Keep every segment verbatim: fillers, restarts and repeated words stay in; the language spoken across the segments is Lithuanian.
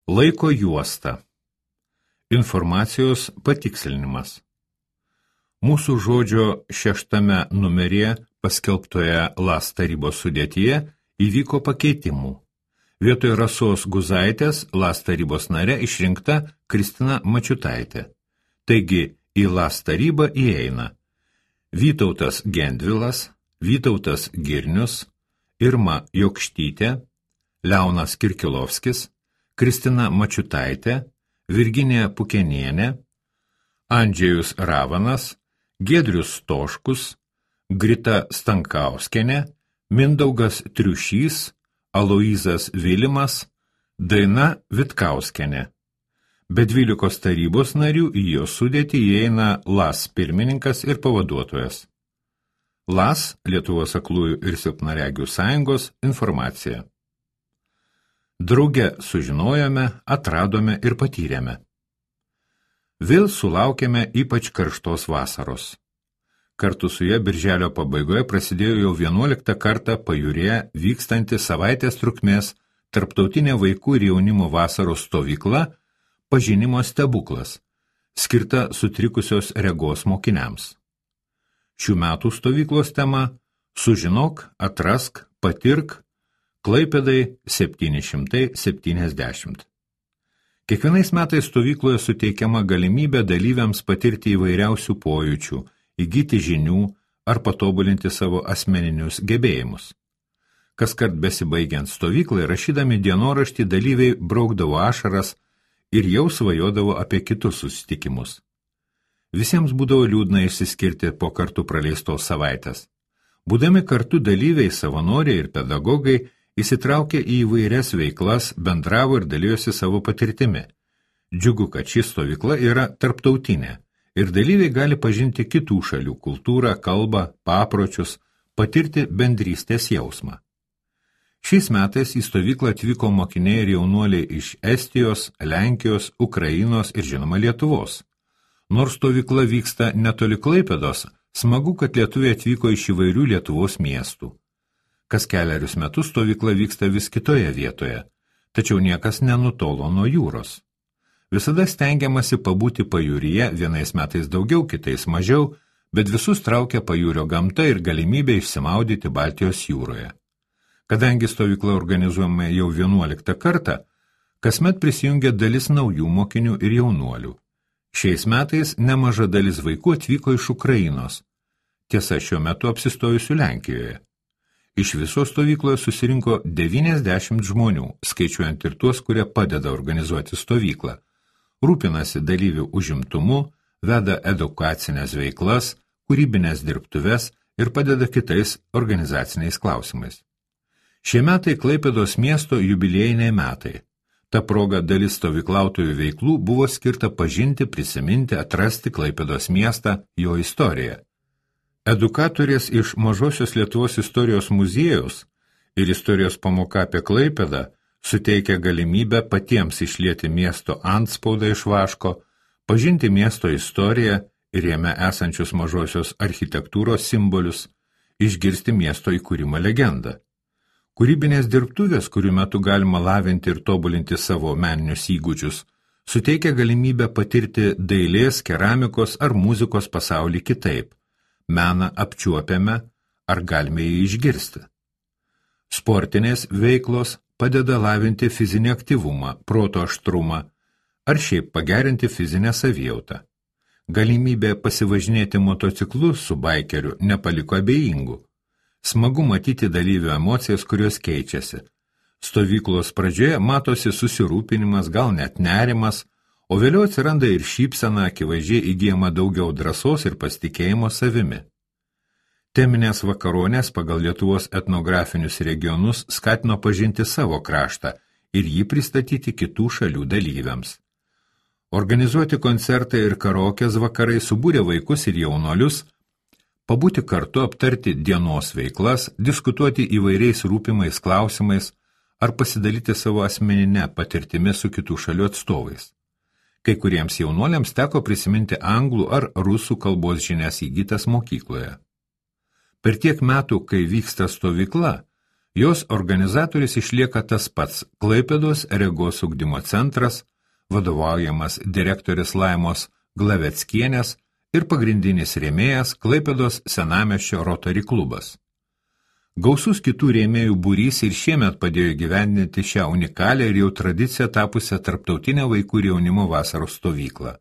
Laiko juosta. Informacijos patikslinimas. Mūsų žodžio šeštame numeryje paskelbtoje LAS tarybos sudėtyje įvyko pakeitimų. Vietoj Rasos Guzaitės LAS tarybos nare išrinkta Kristina Mačiutaitė. Taigi į LAS tarybą įeina Vytautas Gendvilas, Vytautas Girnius, Irma Jokštytė, Leonas Kirkilovskis, Kristina Mačiutaitė, Virginija Pukenienė, Andžejus Ravanas, Giedrius Stoškus, Grita Stankauskienė, Mindaugas Triušys, Aloyzas Vilimas, Daina Vitkauskienė. Be dvylikos tarybos narių į jo sudėtį įeina LAS pirmininkas ir pavaduotojas. LAS, Lietuvos aklųjų ir silpnaregių sąjungos, informacija. Drauge sužinojome, atradome ir patyrėme. Vėl sulaukėme ypač karštos vasaros. Kartu su ja birželio pabaigoje prasidėjo jau vienuoliktą kartą pajūryje vykstanti savaitės trukmės tarptautinė vaikų ir jaunimo vasaros stovykla Pažinimo stebuklas, skirta sutrikusios regos mokiniams. Šių metų stovyklos tema Sužinok, atrask, patirk, Klaipėdai septyni šimtai septyniasdešimt. Kiekvienais metais stovykloje suteikiama galimybė dalyviams patirti įvairiausių pojūčių, įgyti žinių ar patobulinti savo asmeninius gebėjimus. Kaskart besibaigiant stovyklai, rašydami dienoraštį, dalyviai braukdavo ašaras ir jau svajodavo apie kitus susitikimus. Visiems būdavo liūdna išsiskirti po kartu praleistos savaitės. Būdami kartu dalyviai, savanoriai ir pedagogai įsitraukė į įvairias veiklas, bendravo ir dalijosi savo patirtimi. Džiugu, kad ši stovykla yra tarptautinė ir dalyviai gali pažinti kitų šalių kultūrą, kalbą, papročius, patirti bendrystės jausmą. Šiais metais į stovyklą atvyko mokiniai ir jaunuoliai iš Estijos, Lenkijos, Ukrainos ir žinoma Lietuvos. Nors stovykla vyksta netoli Klaipėdos, smagu, kad lietuviai atvyko iš įvairių Lietuvos miestų. Kas keliarius metus stovykla vyksta vis kitoje vietoje, tačiau niekas nenutolo nuo jūros. Visada stengiamasi pabūti pajūryje, vienais metais daugiau, kitais mažiau, bet visus traukia pajūrio gamta ir galimybė išsimaudyti Baltijos jūroje. Kadangi stovykla organizuojama jau vienuoliktą kartą, kasmet prisijungia dalis naujų mokinių ir jaunuolių. Šiais metais nemaža dalis vaikų atvyko iš Ukrainos, tiesa šiuo metu apsistojusių Lenkijoje. Iš viso stovykloje susirinko devyniasdešimt žmonių, skaičiuojant ir tuos, kurie padeda organizuoti stovyklą. Rūpinasi dalyvių užimtumu, veda edukacinės veiklas, kūrybinės dirbtuves ir padeda kitais organizaciniais klausimais. Šie metai Klaipėdos miesto jubiliejiniai metai. Ta proga dalis stovyklautojų veiklų buvo skirta pažinti, prisiminti, atrasti Klaipėdos miestą, jo istoriją. Edukatorės iš Mažosios Lietuvos istorijos muziejaus ir istorijos pamoka apie Klaipėdą suteikia galimybę patiems išlieti miesto antspaudą iš vaško, pažinti miesto istoriją ir jame esančius mažosios architektūros simbolius, išgirsti miesto įkūrimo legendą. Kūrybinės dirbtuvės, kurių metu galima lavinti ir tobulinti savo meninius įgūdžius, suteikia galimybę patirti dailės, keramikos ar muzikos pasaulį kitaip. Meną apčiuopiame, ar galime jį išgirsti. Sportinės veiklos padeda lavinti fizinį aktyvumą, proto aštrumą, ar šiaip pagerinti fizinę savijautą. Galimybė pasivažinėti motociklu su baikeriu nepaliko abejingų. Smagu matyti dalyvių emocijas, kurios keičiasi. Stovyklos pradžioje matosi susirūpinimas, gal net nerimas, o vėliau atsiranda ir šypsena, akivaizdžiai įgyjama daugiau drąsos ir pasitikėjimo savimi. Teminės vakaronės pagal Lietuvos etnografinius regionus skatino pažinti savo kraštą ir jį pristatyti kitų šalių dalyviams. Organizuoti koncertai ir karaokės vakarai subūrė vaikus ir jaunolius, pabūti kartu, aptarti dienos veiklas, diskutuoti įvairiais rūpimais klausimais ar pasidalyti savo asmeninę patirtimi su kitų šalių atstovais. Kai kuriems jaunuoliams teko prisiminti anglų ar rusų kalbos žinias įgytas mokykloje. Per tiek metų, kai vyksta stovykla, Jos organizatorius išlieka tas pats Klaipėdos regos ugdymo centras, vadovaujamas direktorės Laimos Glaveckienės ir pagrindinis rėmėjas Klaipėdos senamiesčio Rotary klubas. Gausus kitų rėmėjų būrys ir šiemet padėjo gyvendinti šią unikalią ir jau tradiciją tapusią tarptautinę vaikų ir jaunimo vasaros stovyklą.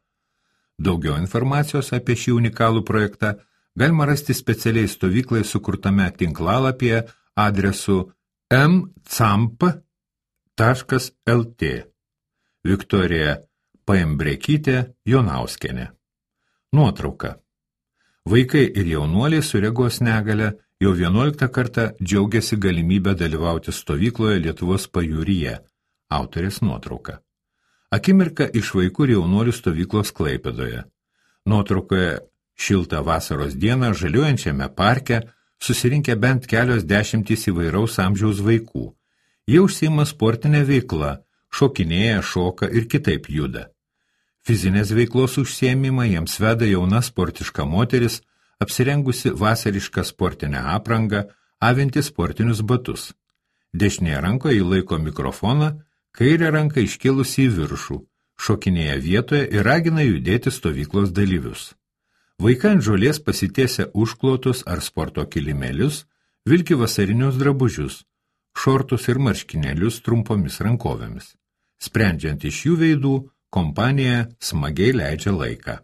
Daugiau informacijos apie šį unikalų projektą galima rasti specialiai stovyklai sukurtame tinklalapyje adresu m camp taškas l t. Viktorija Paembrekytė Jonauskienė. Nuotrauka. Vaikai ir jaunuoliai su regos negale jau vienuoliktą kartą džiaugiasi galimybę dalyvauti stovykloje Lietuvos pajūryje. Autorės nuotrauka. Akimirka iš vaikų ir jaunuolių stovyklos Klaipėdoje. Nuotraukoje šiltą vasaros dieną žaliuojančiame parke susirinkę bent kelios dešimtys įvairaus amžiaus vaikų. Jie užsiima sportinę veiklą, šokinėja, šoka ir kitaip juda. Fizinės veiklos užsiėmimą jiems veda jauna sportiška moteris, apsirengusi vasarišką sportinę aprangą, avinti sportinius batus. Dešinėje rankoje ji laiko mikrofoną, kairę ranką iškilusi į viršų, šokinėja vietoje ir ragina judėti stovyklos dalyvius. Vaikai ant žolės pasitiesia užklotus ar sporto kilimėlius, vilki vasarinius drabužius, šortus ir marškinėlius trumpomis rankovėmis. Sprendžiant iš jų veidų, kompanija smagiai leidžia laiką.